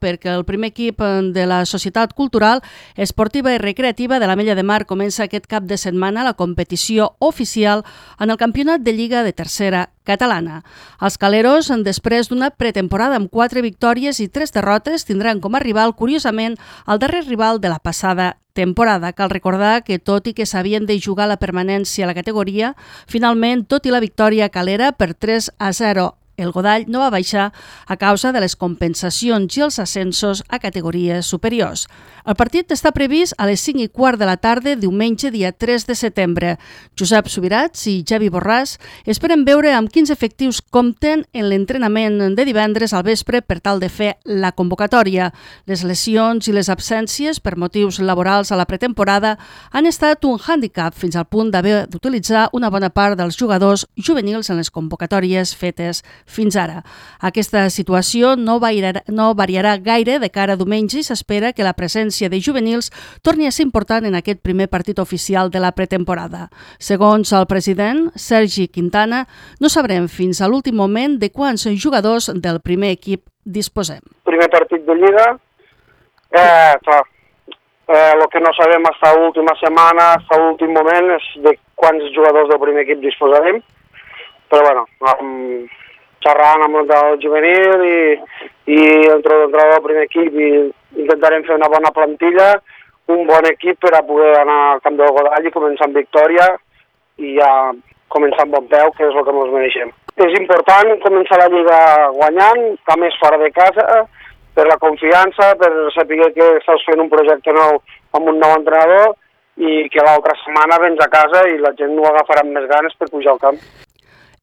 perquè el primer equip de la Societat Cultural, Esportiva i Recreativa de l'Ametlla de Mar comença aquest cap de setmana la competició oficial en el Campionat de Lliga de Tercera catalana. Els caleros, després d'una pretemporada amb 4 victòries i 3 derrotes, tindran com a rival, curiosament, el darrer rival de la passada temporada. Cal recordar que, tot i que s'havien de jugar la permanència a la categoria, finalment, tot i la victòria calera per 3-0, el Godall no va baixar a causa de les compensacions i els ascensos a categories superiors. El partit està previst a les 5:15 de la tarda, diumenge, dia 3 de setembre. Josep Subirats i Javi Borràs esperen veure amb quins efectius compten en l'entrenament de divendres al vespre per tal de fer la convocatòria. Les lesions i les absències per motius laborals a la pretemporada han estat un hàndicap fins al punt d'haver d'utilitzar una bona part dels jugadors juvenils en les convocatòries fetes fins ara. Aquesta situació no variarà gaire de cara a diumenge i s'espera que la presència de juvenils torni a ser important en aquest primer partit oficial de la pretemporada. Segons el president, Sergi Quintana, no sabrem fins a l'últim moment de quants jugadors del primer equip disposem. Primer partit de Lliga, el que no sabem fins a l'última setmana, fins a l'últim moment, és de quants jugadors del primer equip disposarem, però bueno, xerrant amb el juvenil i l'entrenador del primer equip i intentarem fer una bona plantilla, un bon equip per a poder anar al camp del Godall i començar amb victòria i ja començar amb bon peu, que és el que ens mereixem. És important començar la Lliga guanyant, a més fora de casa, per la confiança, per saber que estàs fent un projecte nou amb un nou entrenador i que l'altra setmana vens a casa i la gent ho agafarà amb més ganes per pujar al camp.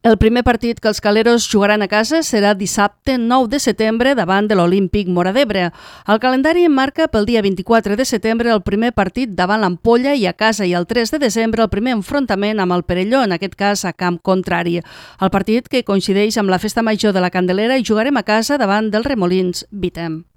El primer partit que els caleros jugaran a casa serà dissabte 9 de setembre davant de l'Olímpic Móra d'Ebre. El calendari marca pel dia 24 de setembre el primer partit davant l'Ampolla i a casa i el 3 de desembre el primer enfrontament amb el Perelló, en aquest cas a camp contrari. El partit que coincideix amb la Festa Major de la Candelera i jugarem a casa davant dels Remolins Vitem.